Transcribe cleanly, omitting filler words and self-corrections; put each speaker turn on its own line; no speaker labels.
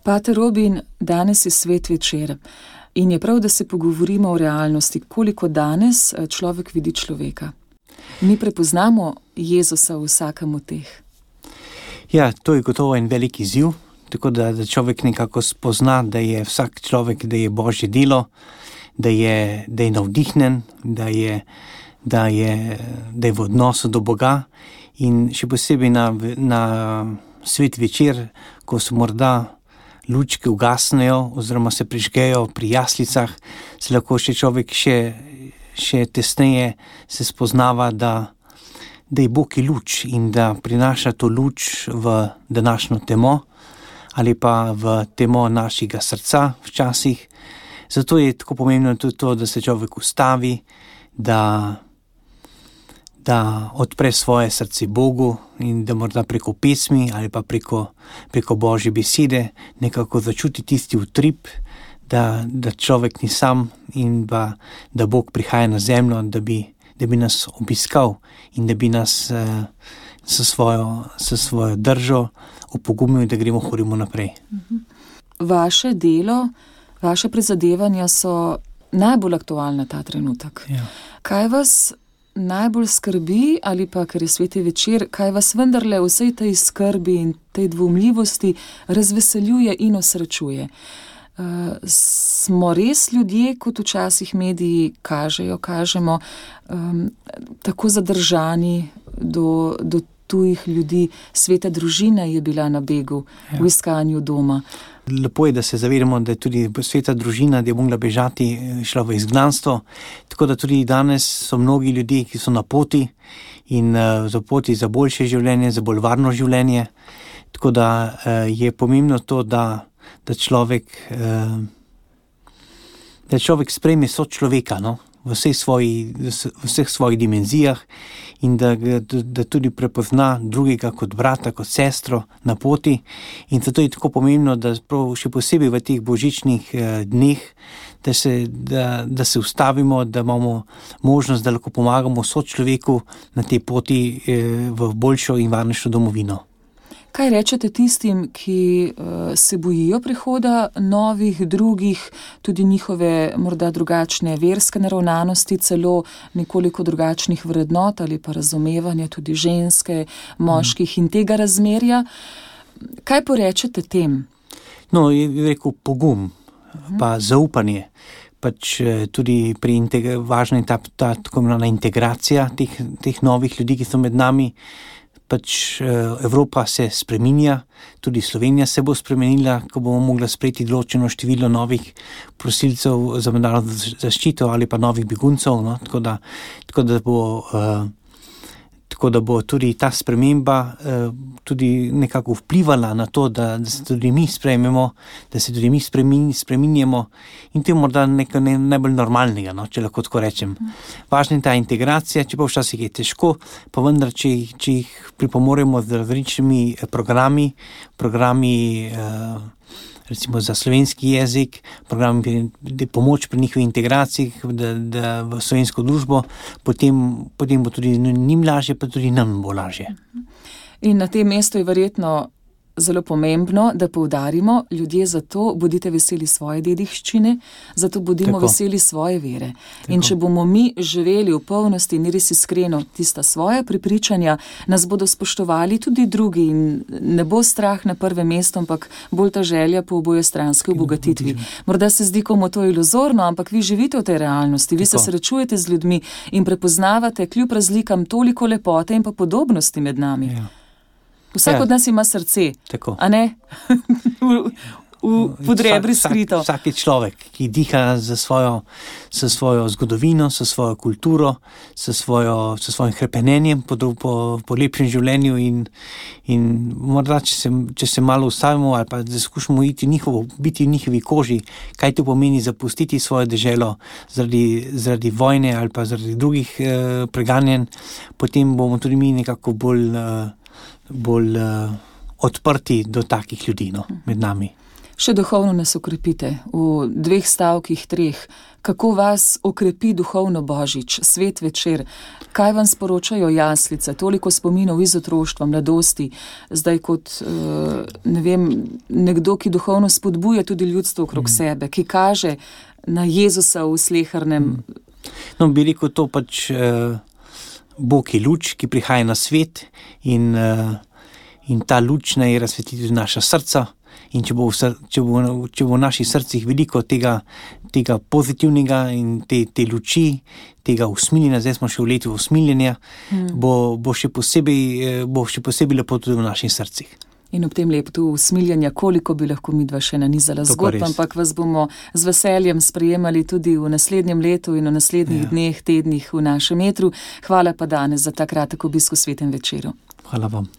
Pater Robin, danes je svet večer in je prav, da se pogovorimo o realnosti, koliko danes človek vidi človeka. Mi prepoznamo Jezusa v vsakem od teh.
Ja, to je gotovo en velik izziv, tako da človek nekako spozna, da je vsak človek, da je Božje delo, da je navdihnen, da je v odnosu do Boga in še posebej na svet večer, ko se morda lučke ugasnejo oziroma se prižgejo pri jaslicah, se lahko še človek še tesneje se spoznava, da je Bog je luč in da prinaša to luč v današnjo temo ali pa v temo našega srca včasih. Zato je tako pomembno tudi to, da se človek ustavi, da odpre svoje srce Bogu in da morda preko pesmi ali pa preko Božje besede nekako začuti tisti utrip, da človek ni sam in da Bog prihaja na zemljo, da bi nas obiskal in da bi nas s svojo držo opogumil, da hodimo naprej.
Vaše delo, vaše prizadevanja so najbolj aktualna ta trenutek.
Ja.
Kaj vas najbolj skrbi ali pa, ker je sveti večer, kaj vas vendarle v vsej tej skrbi in tej dvomljivosti razveseljuje in osrečuje? Smo res ljudje, kot včasih mediji kažemo, tako zadržani do tujih ljudi? Sveta družina je bila na begu, v iskanju doma.
Lepo je, da se zavedamo, da je tudi sveta družina, da je mogla bežati, šla v izgnanstvo. Tako da tudi danes so mnogi ljudje, ki so na poti in za poti za boljše življenje, za bolj varno življenje. Tako da je pomembno to, da človek sprejme sočloveka, no? V vseh svojih dimenzijah in da tudi prepozna drugega kot brata, kot sestro na poti. In zato je tako pomembno, da še posebej v teh božičnih dneh, da se ustavimo, da imamo možnost, da lahko pomagamo sočloveku na tej poti v boljšo in varnejšo domovino.
Kaj rečete tistim, ki se bojijo prihoda novih, drugih, tudi njihove morda drugačne verske naravnanosti, celo nekoliko drugačnih vrednot ali pa razumevanja tudi ženske, moških in tega razmerja? Kaj porečete tem?
No, je rekel pogum, pa zaupanje. Pač tudi važna je ta tako imenovana integracija teh novih ljudi, ki so med nami. Pač Evropa se spreminja, tudi Slovenija se bo spremenila, ko bomo mogli sprejeti določeno število novih prosilcev za mednarodno zaščito ali pa novih beguncev, no? Tako da bo tudi ta sprememba tudi nekako vplivala na to, da se tudi mi sprejmemo, da se tudi mi spreminjamo in to je morda nekaj najbolj normalnega, no, če lahko tako rečem. Važna je ta integracija, čeprav včasih je težko, pa vendar, če jih pripomoremo z različnimi programi, recimo za slovenski jezik, program pomoč pri njihovi integraciji v slovensko družbo, potem bo tudi njim lažje, pa tudi nam bo lažje.
In na tem mestu je verjetno zelo pomembno, da poudarimo, ljudje zato bodite veseli svoje dediščine, zato bodimo veseli svoje vere. Tako. In če bomo mi živeli v polnosti in res iskreno tista svoja prepričanja, nas bodo spoštovali tudi drugi in ne bo strah na prvem mestu, ampak bolj ta želja po obojestranski obogatitvi. Morda se zdi komu to iluzorno, ampak vi živite v tej realnosti, vi se srečujete z ljudmi in prepoznavate kljub razlikam toliko lepote in pa podobnosti med nami.
Ja.
Vsak od nas ima srce,
tako.
A ne? v podrebri skrito.
Vsak je človek, ki diha s svojo zgodovino, s svojo kulturo, s svojim hrepenenjem po lepšem življenju in morda, če se malo ustavimo ali pa da skušamo biti v njihovi koži, kaj to pomeni zapustiti svojo deželo zaradi vojne ali pa zaradi drugih preganjanj, potem bomo tudi mi nekako bolj odprti do takih ljudi, no, med nami.
Še duhovno nas okrepite v 2 stavkih, 3. Kako vas okrepi duhovno Božič, svet večer? Kaj vam sporočajo jaslice? Toliko spominov iz otroštva, mladosti, zdaj kot, ne vem, nekdo, ki duhovno spodbuja tudi ljudstvo okrog sebe, ki kaže na Jezusa v slehernem.
No, bi rekel to pač Bog je luč, ki prihaja na svet in ta luč naj razsvetli tudi naša srca. In če bo v naših srcih veliko tega pozitivnega in te luči, tega usmiljenja, zdaj smo še v letu usmiljenja, bo še posebej lepo tudi v naših srcih.
In ob tem letu usmiljenja, koliko bi lahko midva še nanizala zgodb, ampak vas bomo z veseljem sprejemali tudi v naslednjem letu in v naslednjih dneh, tednih v našem etru. Hvala pa danes za ta kratek obisk v Svetem večeru.
Hvala vam.